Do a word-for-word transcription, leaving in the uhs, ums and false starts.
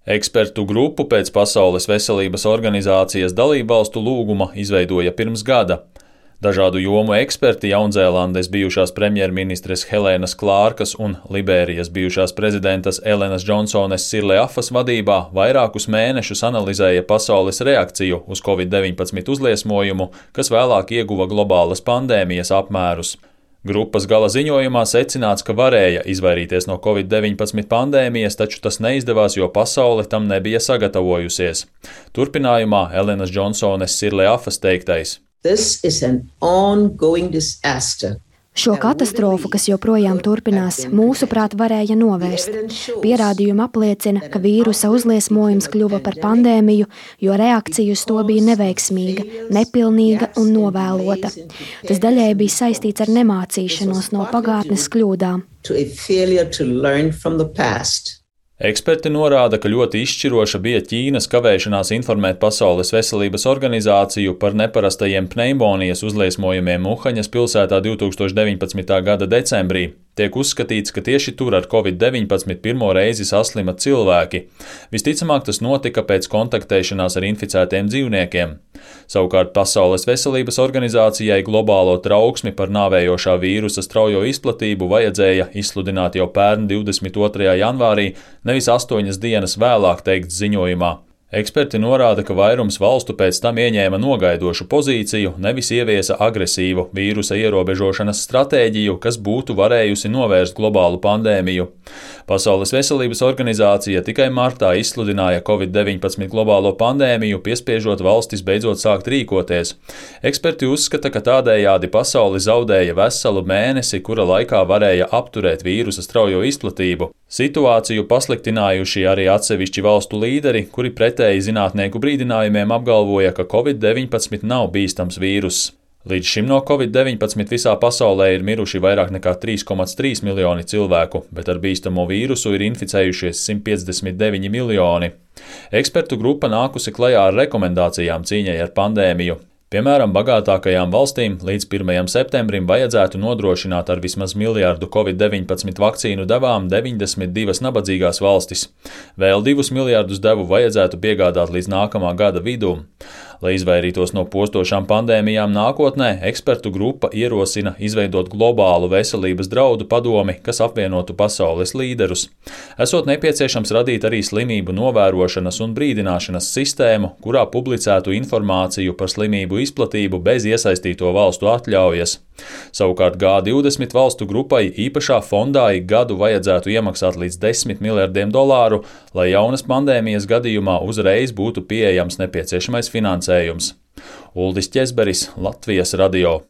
Ekspertu grupu pēc Pasaules veselības organizācijas dalībvalstu lūguma izveidoja pirms gada. Dažādu jomu eksperti Jaunzēlandes bijušās premjerministres Helēnas Klārkas un Liberijas bijušās prezidentas Elenas Džonsones Sirleafas vadībā vairākus mēnešus analizēja pasaules reakciju uz covid deviņpadsmit uzliesmojumu, kas vēlāk ieguva globālas pandēmijas apmērus. Grupas gala ziņojumā secināts, ka varēja izvairīties no covid deviņpadsmit pandēmijas, taču tas neizdevās, jo pasaule tam nebija sagatavojusies. Turpinājumā Elenas Džonsones Sirleafas teiktais. This is an ongoing disaster. Šo katastrofu, kas joprojām turpinās, mūsuprāt varēja novērst. Pierādījumi apliecina, ka vīrusa uzliesmojums kļuva par pandēmiju, jo reakcija uz to bija neveiksmīga, nepilnīga un novēlota. Tas daļēji bija saistīts ar nemācīšanos no pagātnes kļūdām. Eksperti norāda, ka ļoti izšķiroša bija Ķīnas kavēšanās informēt Pasaules veselības organizāciju par neparastajiem pneimonijas uzliesmojumiem Uhaņas pilsētā divtūkstoš deviņpadsmitā gada decembrī. Tiek uzskatīts, ka tieši tur ar covid deviņpadsmit pirmo reizi saslima cilvēki. Visticamāk, tas notika pēc kontaktēšanās ar inficētiem dzīvniekiem. Savukārt Pasaules veselības organizācijai globālo trauksmi par nāvējošā vīrusa straujo izplatību vajadzēja izsludināt jau pērn divdesmit otrajā janvārī, nevis astoņas dienas vēlāk teikts ziņojumā. Eksperti norāda, ka vairums valstu pēc tam ieņēma nogaidošu pozīciju, nevis ieviesa agresīvu vīrusa ierobežošanas stratēģiju, kas būtu varējusi novērst globālu pandēmiju. Pasaules veselības organizācija tikai martā izsludināja covid deviņpadsmit globālo pandēmiju, piespiežot valstis beidzot sākt rīkoties. Eksperti uzskata, ka tādējādi pasauli zaudēja veselu mēnesi, kura laikā varēja apturēt vīrusa straujo izplatību. Situāciju pasliktinājuši arī atsevišķi valstu līderi, kuri pretēji zinātnieku brīdinājumiem apgalvoja, ka covid deviņpadsmit nav bīstams vīruss. Līdz šim no covid deviņpadsmit visā pasaulē ir miruši vairāk nekā trīs komats trīs miljoni cilvēku, bet ar bīstamo vīrusu ir inficējušies simt piecdesmit deviņi miljoni. Ekspertu grupa nākusi klajā ar rekomendācijām cīņai ar pandēmiju. Piemēram, bagātākajām valstīm līdz pirmajam septembrim vajadzētu nodrošināt ar vismaz miljārdu covid deviņpadsmit vakcīnu devām deviņdesmit divas nabadzīgās valstis. Vēl divus miljārdus devu vajadzētu piegādāt līdz nākamā gada vidum. Lai izvairītos no postošām pandēmijām nākotnē, ekspertu grupa ierosina izveidot globālu veselības draudu padomi, kas apvienotu pasaules līderus. Esot nepieciešams radīt arī slimību novērošanas un brīdināšanas sistēmu, kurā publicētu informāciju par slimību izplatību bez iesaistīto valstu atļaujas. Savukārt G divdesmit valstu grupai īpašā fondā ik gadu vajadzētu iemaksāt līdz desmit miljardiem dolāru, lai jaunas pandēmijas gadījumā uzreiz būtu pieejams nepieciešamais finansējums. Uldis Ķezberis, Latvijas radio.